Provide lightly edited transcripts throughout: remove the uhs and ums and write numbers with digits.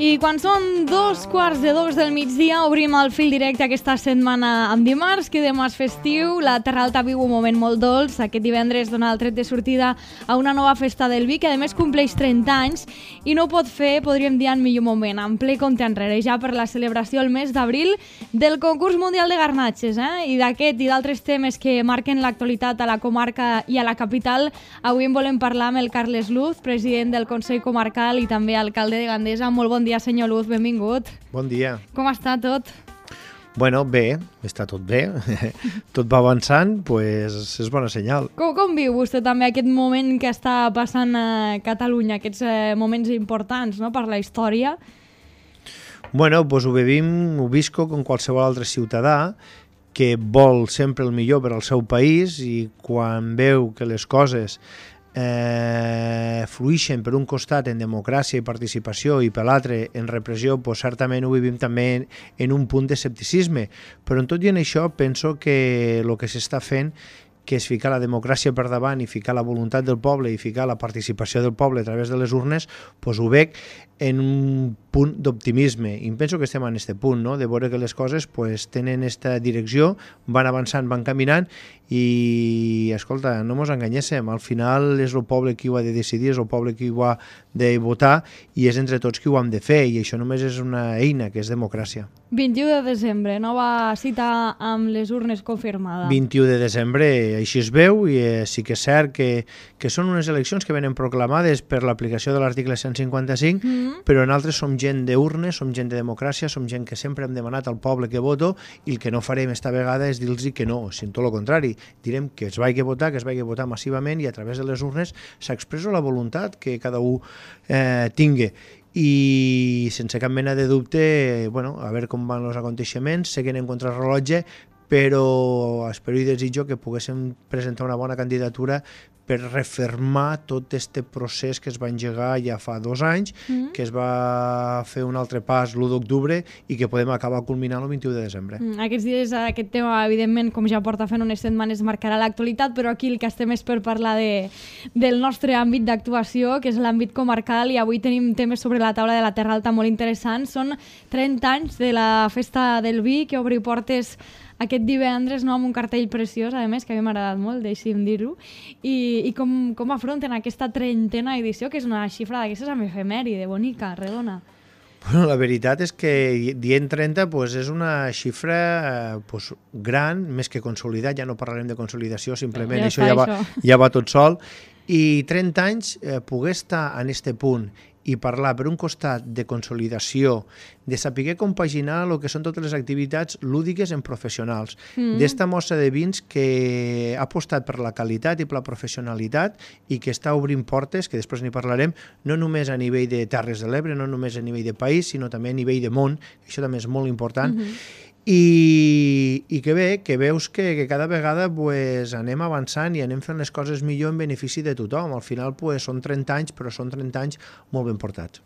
I quan són 2:45 del migdia, obrim el fil directe aquesta setmana amb dimarts, que demà és festiu. La Terra Alta viu un moment molt dolç. Aquest divendres dona el tret de sortida a una nova festa del vi, que a més compleix 30 anys i no ho pot fer, podríem dir, en millor moment, en ple compte enrere, ja per la celebració el mes d'abril del concurs mundial de garnatges. I d'aquest i d'altres temes que marquen l'actualitat a la comarca i a la capital, avui en volem parlar amb el Carles Luz, president del Consell Comarcal i també alcalde de Gandesa. Molt bon dia, senyor Luz, benvingut. Bon dia. Com està tot? Bueno, bé, està tot bé. Tot va avançant, doncs és bona senyal. Com viu vostè també aquest moment que està passant a Catalunya, aquests moments importants, no?, per la història? Bueno, doncs ho visco com qualsevol altre ciutadà que vol sempre el millor per al seu país i quan veu que les coses fluixen per un costat en democràcia i participació i per l'altre en repressió, doncs certament ho vivim també en un punt d'escepticisme. Però en tot i en això penso que el que s'està fent, que és ficar la democràcia per davant i ficar la voluntat del poble i ficar la participació del poble a través de les urnes, doncs ho veig en un punt d'optimisme. I penso que estem en aquest punt, no?, de veure que les coses pues, tenen aquesta direcció, van avançant, van caminant i, escolta, no mos enganyéssim, al final és el poble qui ho ha de decidir, és el poble qui ho ha de votar i és entre tots qui ho hem de fer i això només és una eina, que és democràcia. 21 de desembre, nova cita amb les urnes confirmada. 21 de desembre, així es veu i sí que és cert que són unes eleccions que venen proclamades per l'aplicació de l'article 155, però nosaltres som gent d'urnes, som gent de democràcia, som gent que sempre hem demanat al poble que voto i el que no farem esta vegada és dir-los que no, sinó tot el contrari. Direm que es vagi a votar massivament i a través de les urnes s'expressa la voluntat que cada un tingui. I sense cap mena de dubte, bueno, a veure com van els aconteixements, sé que anem contra el rellotge, però espero i desitjo que poguéssim presentar una bona candidatura per refermar tot aquest procés que es va engegar ja fa 2 anys, que es va fer un altre pas l'1 d'octubre i que podem acabar culminant el 21 de desembre. Aquests dies aquest tema, evidentment, com ja porta fent unes setmanes, marcarà l'actualitat, però aquí el que estem és per parlar del nostre àmbit d'actuació, que és l'àmbit comarcal, i avui tenim temes sobre la taula de la Terra Alta molt interessants. Són 30 anys de la Festa del Vi, que obri portes aquest divendres, no, amb un cartell preciós, a més, que a mi m'ha agradat molt, deixi'm dir-ho, i com afronten aquesta 30a edició, que és una xifra d'aquestes amb efemèride, bonica, redona. Bueno, la veritat és que dient 30 pues, és una xifra pues, gran, més que consolidat, ja no parlarem de consolidació, simplement això ja va tot sol, i 30 anys poder estar en este punt i parlar per un costat de consolidació, de saber compaginar el que són totes les activitats lúdiques en professionals, d'esta mostra de vins que ha apostat per la qualitat i per la professionalitat i que està obrint portes, que després n'hi parlarem, no només a nivell de Terres de l'Ebre, no només a nivell de país, sinó també a nivell de món, això també és molt important, i que bé, que veus que cada vegada pues, anem avançant i anem fent les coses millor en benefici de tothom. Al final pues, són 30 anys, però són 30 anys molt ben portats.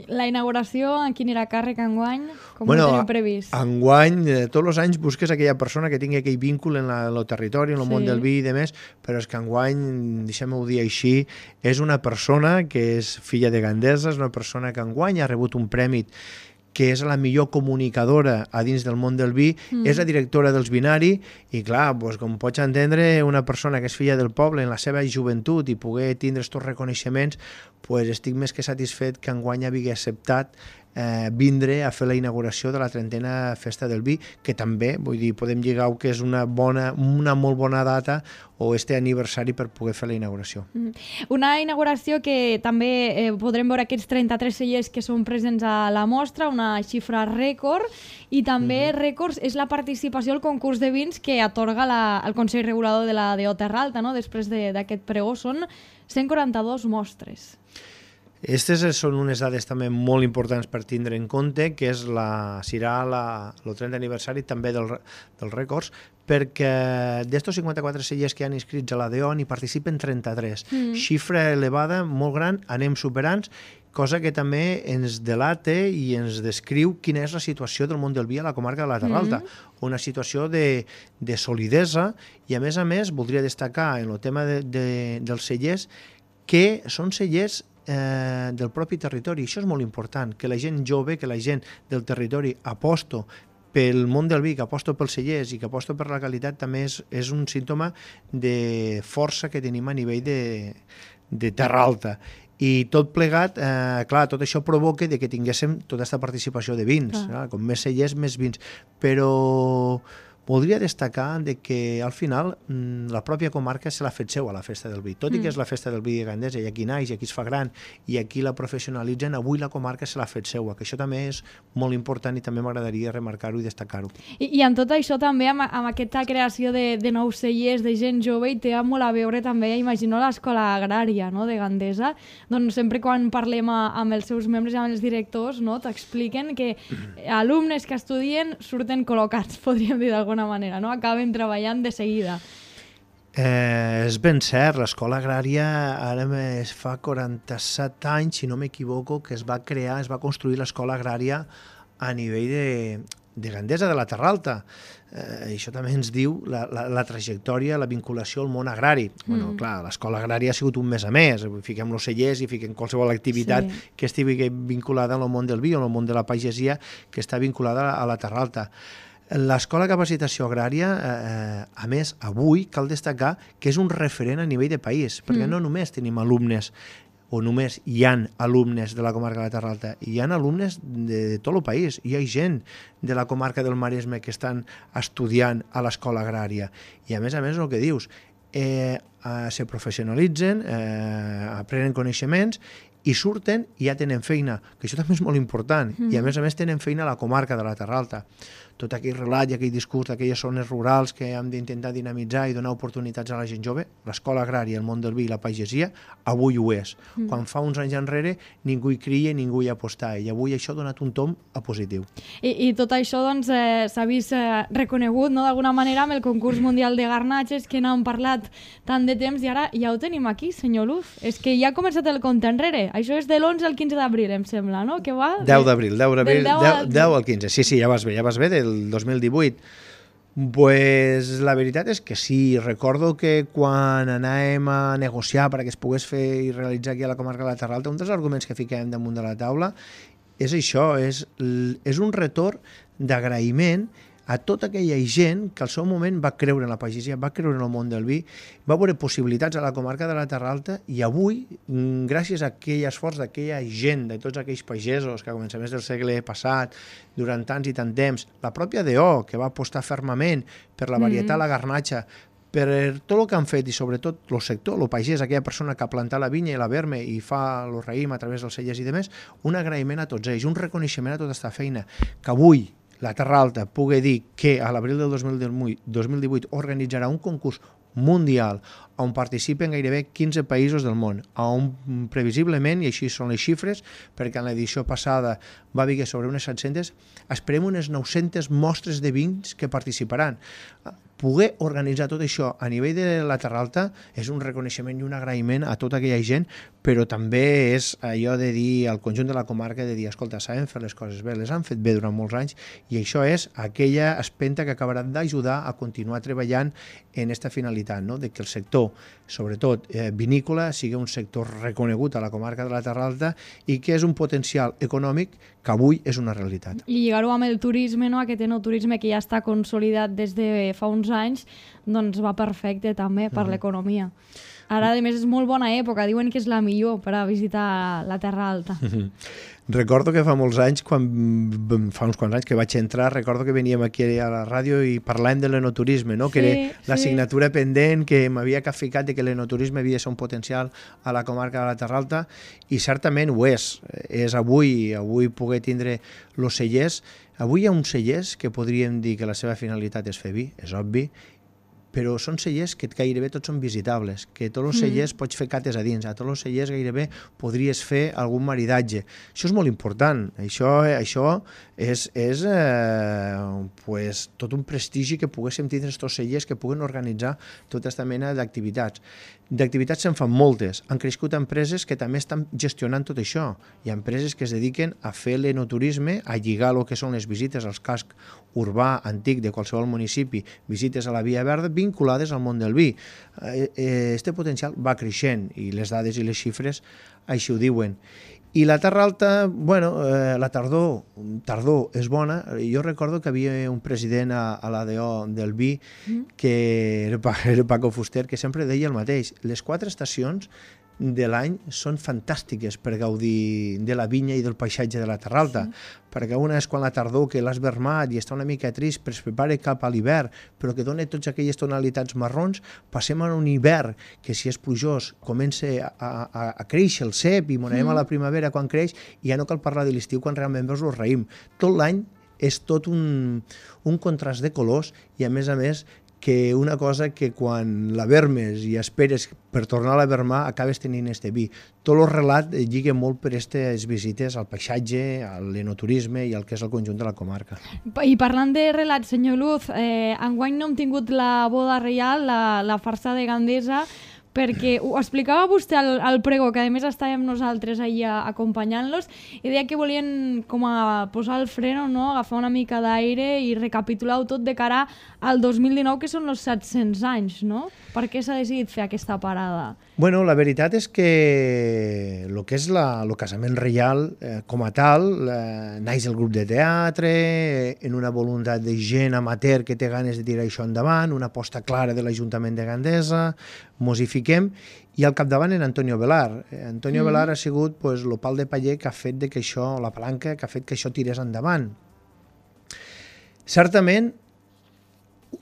La inauguració, a qui anirà a càrrec enguany? Com ho teniu previst? Enguany, tots els anys busques aquella persona que tingui aquell vínculo en el territori, en el món del vi i demés, però és que enguany, deixem-ho dir així, és una persona que és filla de Gandesa, és una persona que enguany ha rebut un premi que és la millor comunicadora a dins del món del vi, és la directora dels Vinari, i clar, doncs, com pots entendre, una persona que és filla del poble en la seva joventut i poder tindre aquests reconeixements, doncs estic més que satisfet que enguany havia acceptat vindre a fer la inauguració de la 30a Festa del Vi, que també, vull dir, podem lligar que és una molt bona data o este aniversari per poder fer la inauguració. Una inauguració que també podrem veure aquests 33 cellers que són presents a la mostra, una xifra rècord, i també rècords és la participació al concurs de vins que atorga el Consell Regulador de la DO Terra Alta, no? Després d'aquest pregó són 142 mostres. Aquestes són unes dades també molt importants per tindre en compte, que serà el 30 aniversari també dels rècords, perquè d'estos 54 cellers que hi ha inscrits a la DO n'hi participen 33. Xifra elevada, molt gran, anem superant, cosa que també ens delata i ens descriu quina és la situació del món del vi a la comarca de la Terra Alta. Una situació de solidesa i, a més, voldria destacar en el tema dels cellers que són cellers del propi territori. Això és molt important, que la gent jove, que la gent del territori aposto pel món del vi, que aposto pels cellers i que aposto per la qualitat, també és un símptoma de força que tenim a nivell de terra alta. I tot plegat, clar, tot això provoca que tinguéssim tota aquesta participació de vins. Com més cellers, més vins. Però voldria destacar que al final la pròpia comarca se l'ha fet seu a la Festa del Vi. Tot i que és la Festa del Vi de Gandesa i aquí naix, i aquí es fa gran i aquí la professionalitzen, avui la comarca se l'ha fet seua, que això també és molt important i també m'agradaria remarcar-ho i destacar-ho. I amb tot això també, amb aquesta creació de nous cellers, de gent jove, i té molt a veure també, imagino, l'escola agrària, no?, de Gandesa. Doncs sempre quan parlem amb els seus membres i amb els directors, no?, t'expliquen que alumnes que estudien surten col·locats, podríem dir d'alguna manera, no? Acaben treballant de seguida. És ben cert, l'escola agrària ara fa 47 anys, si no m'equivoco, que es va crear, es va construir l'escola agrària a nivell de Gandesa, de la Terra Alta. Això també ens diu la trajectòria, la vinculació al món agrari. Clar, l'escola agrària ha sigut un més a més, fiquem els cellers i fiquem qualsevol activitat que estigui vinculada al món del vi o al món de la pagesia que està vinculada a la Terra Alta. L'escola de capacitació agrària, a més, avui cal destacar que és un referent a nivell de país, perquè no només tenim alumnes o només hi ha alumnes de la comarca de la Terra Alta, hi ha alumnes de tot el país, hi ha gent de la comarca del Maresme que estan estudiant a l'escola agrària. I a més, el que dius, se professionalitzen, aprenen coneixements i surten i ja tenen feina, que això també és molt important, i a més tenen feina a la comarca de la Terra Alta. Tot aquell relat i aquell discurs d'aquelles zones rurals que hem d'intentar dinamitzar i donar oportunitats a la gent jove, l'escola agrària, el món del vi i la pagesia, avui ho és. Quan fa uns anys enrere ningú hi cria, ningú hi apostava, i avui això ha donat un tom a positiu. I tot això doncs, s'ha vist reconegut, no?, d'alguna manera amb el concurs mundial de garnatges que n'hem parlat tant de temps i ara ja ho tenim aquí, senyor Luz. És que ja ha començat el compte enrere. Això és de l'11 al 15 d'abril, em sembla, no? Que va? 10 d'abril, 10 al 15. Sí, ja vas bé, del 2018. Pues la veritat és que sí, recordo que quan anàvem a negociar perquè es pogués fer i realitzar aquí a la comarca de la Terra Alta, un dels arguments que fiquem damunt de la taula és això, és un retorn d'agraïment a tota aquella gent que al seu moment va creure en la pagesia, va creure en el món del vi, va veure possibilitats a la comarca de la Terra Alta i avui, gràcies a aquell esforç d'aquella gent, de tots aquells pagesos que a començaments del segle passat, durant tants i tant temps, la pròpia DO, que va apostar fermament per la varietat, la garnatxa, per tot el que han fet i sobretot el sector, el pagès, aquella persona que ha plantat la vinya i la verme i fa el raïm a través dels cellers i demés, un agraïment a tots ells, un reconeixement a tota aquesta feina, que avui la Terra Alta pugui dir que a l'abril del 2018 organitzarà un concurs mundial on participen gairebé 15 països del món, on previsiblement, i així són les xifres, perquè en l'edició passada va haver sobre unes 700, esperem unes 900 mostres de vins que participaran. Poder organitzar tot això a nivell de la Terra Alta és un reconeixement i un agraïment a tota aquella gent, però també és allò de dir al conjunt de la comarca, de dir, escolta, saben fer les coses bé, les han fet bé durant molts anys, i això és aquella espenta que acabarà d'ajudar a continuar treballant en aquesta finalitat, no?, de que el sector, sobretot vinícola, sigui un sector reconegut a la comarca de la Terra Alta i que és un potencial econòmic que avui és una realitat. I lligar-ho amb el turisme, no?, aquest enoturisme que ja està consolidat des de fa uns anys, doncs va perfecte també per l'economia. Ara, a més, és molt bona època, diuen que és la millor per a visitar la Terra Alta. Recordo que fa molts anys, fa uns quants anys que vaig entrar, recordo que veníem aquí a la ràdio i parlàvem de l'enoturisme, no? Que era l'assignatura pendent, que m'havia capficat de que l'enoturisme havia de ser un potencial a la comarca de la Terra Alta, i certament ho és. És avui poder tindre els cellers. Avui hi ha uns cellers que podríem dir que la seva finalitat és fer vi, és obvi, però són cellers que gairebé tots són visitables, que tots els cellers pots fer cates a dins, a tots els cellers gairebé podries fer algun maridatge. Això és molt important, això és tot un prestigi que poguéssim tindre aquests cellers que puguen organitzar tota aquesta mena d'activitats. D'activitats se'n fan moltes. Han crescut empreses que també estan gestionant tot això. Hi ha empreses que es dediquen a fer l'enoturisme, a lligar el que són les visites als cascs urbà antic de qualsevol municipi, visites a la Via Verda, vinculades al món del vi. Este potencial va creixent i les dades i les xifres així ho diuen. I la Terra Alta, bueno, la tardor és bona. Jo recordo que havia un president a l'ADO del vi, que era Paco Fuster, que sempre deia el mateix. Les 4 estacions de l'any són fantàstiques per gaudir de la vinya i del paisatge de la Terra Alta, perquè una és quan la tardor, que l'has vermat i està una mica trist, però es prepara cap a l'hivern, però que dona totes aquelles tonalitats marrons. Passem a un hivern que, si és plujós, comença a créixer el cep i anem a la primavera quan creix, i ja no cal parlar de l'estiu quan realment veus el raïm. Tot l'any és tot un contrast de colors i, a més, que una cosa que quan la vermes i esperes per tornar a la vermar acabes tenint este vi. Tot el relat lliga molt per aquestes visites al paisatge, a l'enoturisme i al que és el conjunt de la comarca. I parlant de relat, senyor Luz, enguany no hem tingut la boda reial, la farsa de Gandesa, perquè ho explicava vostè al pregó, que a més estàvem nosaltres allà acompanyant-los, i deia que volien com a posar el freno, no? Agafar una mica d'aire i recapitular-ho tot de cara al 2019, que són els 700 anys, no? Per què s'ha decidit fer aquesta parada? Bueno, la veritat és que el que és el casament reial com a tal, naix el grup de teatre, en una voluntat de gent amateur que té ganes de tirar això endavant, una aposta clara de l'Ajuntament de Gandesa, mos hi fiquem, i al capdavant en Antonio Velar. Antonio Velar ha sigut el pal de paller que ha fet que això, la palanca, que ha fet que això tirés endavant. Certament,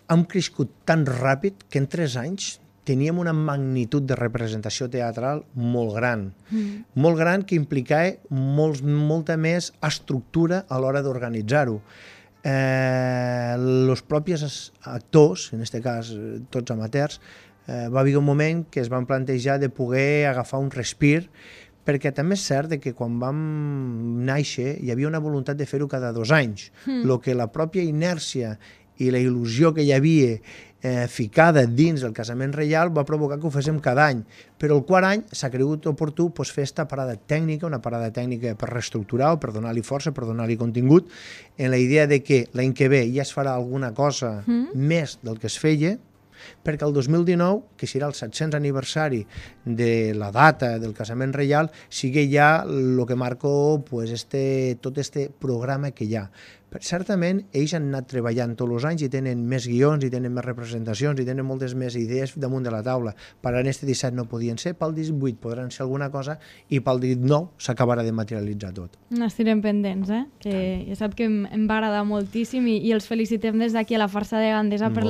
hem crescut tan ràpid que en 3 anys teníem una magnitud de representació teatral molt gran. Molt gran, que implicava molta més estructura a l'hora d'organitzar-ho. Els propis actors, en aquest cas tots amateurs, va haver un moment que es van plantejar de poder agafar un respir, perquè també és cert que quan vam néixer hi havia una voluntat de fer-ho cada 2 anys. El que la pròpia inèrcia i la il·lusió que hi havia ficada dins del casament reial va provocar que ho féssim cada any. Però el quart any s'ha cregut oportú fer aquesta parada tècnica, una parada tècnica per reestructurar o per donar-li força, per donar-li contingut, en la idea de que l'any que ve ja es farà alguna cosa més del que es feia, perquè el 2019, que serà el 700 aniversari de la data del casament reial, sigui ja el que marca tot este programa que hi ha. Certament, ells han anat treballant tots els anys i tenen més guions, i tenen més representacions, i tenen moltes més idees damunt de la taula. Per en este 17 no podien ser, pel 18 podran ser alguna cosa, i pel 19 s'acabarà de materialitzar tot. N'estirem pendents, que ja sap que em va agradar moltíssim, i els felicitem des d'aquí a la farsa de Gandesa per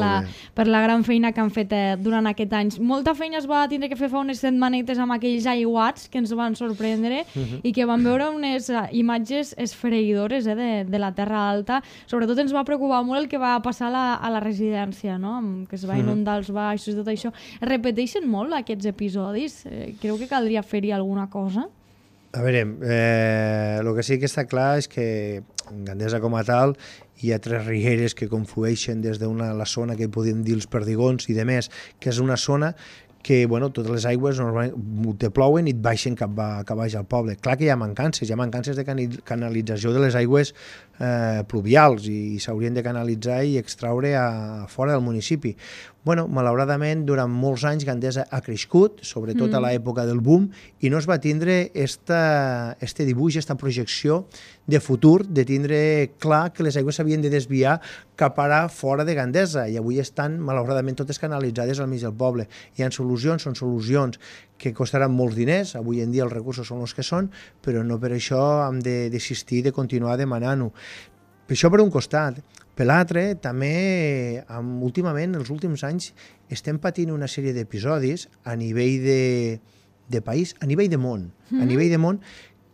la gran feina que han fet durant aquest any. Molta feina es va tindre que fer fa unes setmanetes amb aquells aiguats que ens van sorprendre i que van veure unes imatges esfereïdores de la Terra Alta. Sobretot ens va preocupar molt el que va passar a la residència, no? Que es va inundar els baixos i tot això. Es repeteixen molt aquests episodis? Creu que caldria fer-hi alguna cosa? A veure, el que sí que està clar és que en Gandesa com a tal hi ha 3 rieres que conflueixen des de la zona que podem dir els Perdigons i de més, que és una zona que totes les aigües normalment te plouen i et baixen cap baix al poble. Clar que hi ha mancances de canalització de les aigües pluvials i s'haurien de canalitzar i extraure a fora del municipi. Malauradament, durant molts anys Gandesa ha crescut, sobretot a l'època del boom, i no es va tindre este dibuix, aquesta projecció de futur, de tindre clar que les aigües s'havien de desviar cap ara fora de Gandesa, i avui estan, malauradament, totes canalitzades al mig del poble. Hi ha solucions, són solucions que costaran molts diners, avui en dia els recursos són els que són, però no per això hem de desistir de continuar demanant-ho. Per això per un costat. Per l'altre, també, últimament, els últims anys, estem patint una sèrie d'episodis a nivell de país, a nivell de món,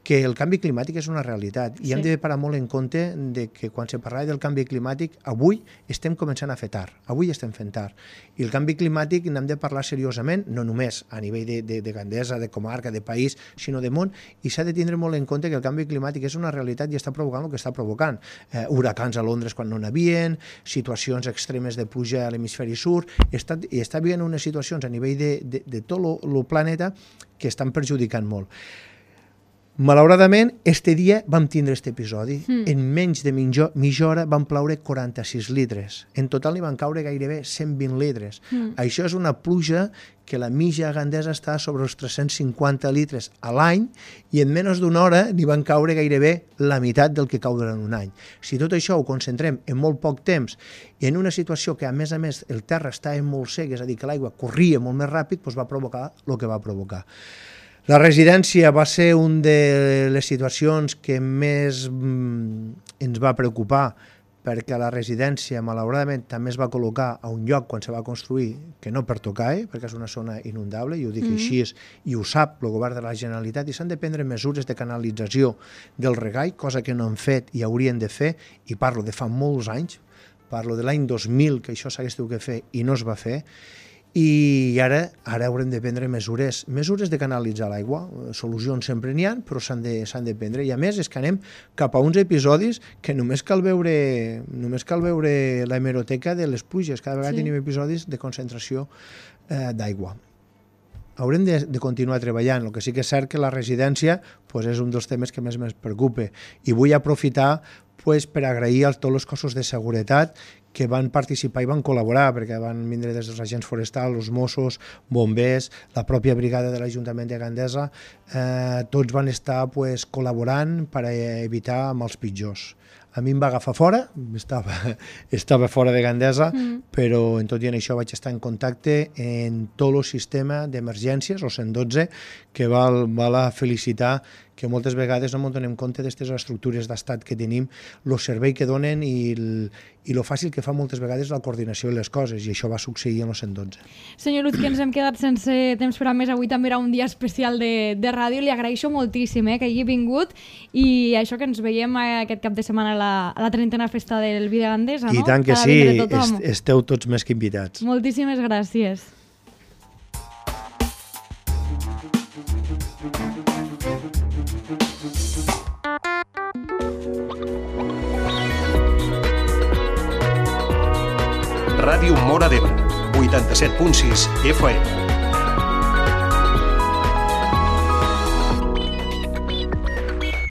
que el canvi climàtic és una realitat i hem de parar molt en compte de que quan se parla del canvi climàtic, avui estem començant a fer tard, avui estem fent tard. I el canvi climàtic n'hem de parlar seriosament, no només a nivell de Gandesa, de comarca, de país, sinó de món, i s'ha de tindre molt en compte que el canvi climàtic és una realitat i està provocant el que està provocant. Huracans a Londres quan no n'havien, situacions extremes de pluja a l'hemisferi sud, i està vivint unes situacions a nivell de tot el planeta que estan perjudicant molt. Malauradament, este dia vam tindre aquest episodi. En menys de mitja hora van ploure 46 litres. En total n'hi van caure gairebé 120 litres. Això és una pluja que la mitja gandesa està sobre els 350 litres a l'any i en menys d'una hora n'hi van caure gairebé la meitat del que cau durant un any. Si tot això ho concentrem en molt poc temps i en una situació que a més el terra estava molt sec, és a dir, que l'aigua corria molt més ràpid, doncs va provocar el que va provocar. La residència va ser una de les situacions que més ens va preocupar perquè la residència, malauradament, també es va col·locar a un lloc quan se va construir que no pertoca, perquè és una zona inundable, i ho dic així, i ho sap el govern de la Generalitat, i s'han de prendre mesures de canalització del regall, cosa que no han fet i haurien de fer, i parlo de fa molts anys, parlo de l'any 2000, que això s'hagués de fer i no es va fer, i ara haurem de prendre mesures de canalitzar l'aigua. Solucions sempre n'hi ha, però s'han de prendre. I a més és que anem cap a uns episodis que només cal veure la hemeroteca de les pluges. Cada vegada tenim episodis de concentració d'aigua. Haurem de continuar treballant. El que sí que és cert que la residència és un dels temes que més preocupa. I vull aprofitar per agrair a tots els cossos de seguretat que van participar i van col·laborar, perquè van vindre des dels agents forestals, els Mossos, bombers, la pròpia brigada de l'Ajuntament de Gandesa, tots van estar col·laborant per evitar mals pitjors. A mi em va agafar fora, estava fora de Gandesa, però en tot i en això vaig estar en contacte en tot el sistema d'emergències, el 112, que val a felicitar que moltes vegades no ens donem compte d'aquestes estructures d'estat que tenim, el servei que donen i el fàcil que fa moltes vegades la coordinació de les coses, i això va succeir en el 112. Senyor Luz, que ens hem quedat sense temps per a més. Avui també era un dia especial de ràdio. Li agraeixo moltíssim que hagi vingut i això, que ens veiem aquest cap de setmana a la 30a festa del Vi de Gandesa, no? I tant que sí, esteu tots més que invitats. Moltíssimes gràcies. Ràdio Móra d'Ebre, 87.6 FM.